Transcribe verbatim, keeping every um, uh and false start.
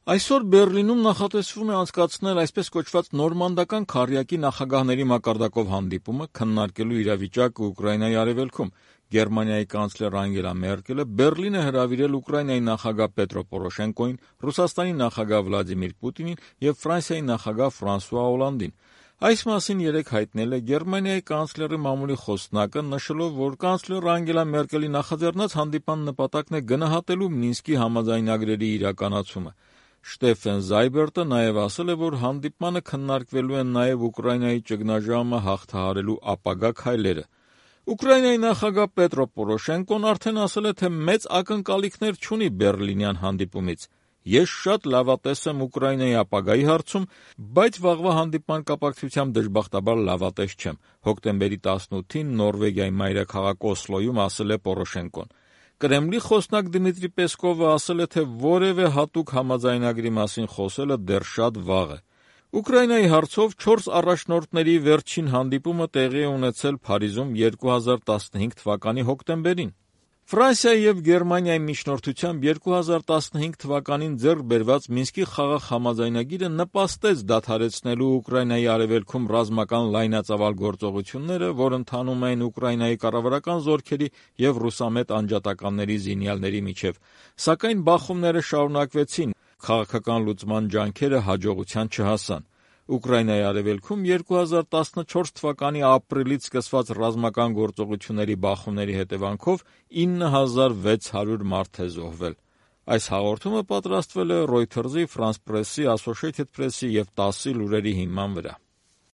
Այսօր Բեռլինում նախատեսվում է անցկացնել այսպես կոչված նորմանդական քառյակի նախագահների մակարդակով հանդիպումը, քննարկելու իրավիճակը Ուկրաինայի արևելքում։ Գերմանիայի կանցլեր Անգելա Մերկելը Բեռլին է հրավիրել Ուկրաինայի նախագահ Պետրո Պորոշենկոին, Ռուսաստանի նախագահ Վլադիմիր Պուտինին եւ Ֆրանսիայի նախագահ Ֆրանսուଆ Օլանդին։ Այս մասին երեկ հայտնել է Գերմանիայի կանցլերի մամուլի խոսնակը, նշելով, որ կանցլեր Անգելա Մերկելի նախաձեռնած հանդիպան նպատակն է գնահատելու Մինսկի համաձայնագրերի իրականացումը։ Շտեֆեն Զայբերտը նաև ասել է, որ հանդիպմանը քննարկվելու են նաև Ուկրաինայի ճգնաժամը հաղթահարելու ապագա քայլերը։ Ուկրաինայի նախագահ Պետրո Պորոշենկոն արդեն ասել է, թե մեծ ակնկալիքներ չունի Բեռլինյան հանդիպումից։ Ես շատ լավատես եմ Ուկրաինայի ապագայի հարցում, բայց վաղվա հանդիպման կապակցությամբ դժբախտաբար լավատես չեմ։ Հոկտեմբերի տասնութին Նորվեգիայի մայրաքաղաք Օսլոյում ասել է Պորոշենկոն։ Կրեմլի խոսնակ Դմիտրի Պեսկովը ասել է, թե որևէ հատուկ համաձայնագրի մասին խոսելը դեռ շատ վաղ է։ Ուկրաինայի հարցով չորս առաջնորդների վերջին հանդիպումը տեղի է ունեցել Փարիզում երկու հազար տասնհինգ թվականի հոկտեմբերին։ Ֆրանսիայի եւ Գերմանիայի միջնորդությամբ երկու հազար տասնհինգ թվականին ձեռք բերված Մինսկի խաղաղ համաձայնագիրը նպաստեց դադարեցնելու Ուկրաինայի արևելքում ռազմական լայնածավալ գործողությունները, որ ընթանում էին Ուկրաինայի կառավարական զորքերի եւ ռուսամետ անջատականների զինյալների միջև, սակայն բախումները շարունակվեցին, քաղաքական լուծման ջանքերը հաջողության չհասան։ Ուկրաինայի արևելքում երկու հազար տասնչորս թվականի ապրիլից սկսված ռազմական գործողությունների բախումների հետևանքով ինը հազար վեց հարյուր մարդ է զոհվել։ Այս հաղորդումը պատրաստվել է Reuters-ի, France Press-ի, Associated Press-ի եւ տասի լուրերի հիման վրա։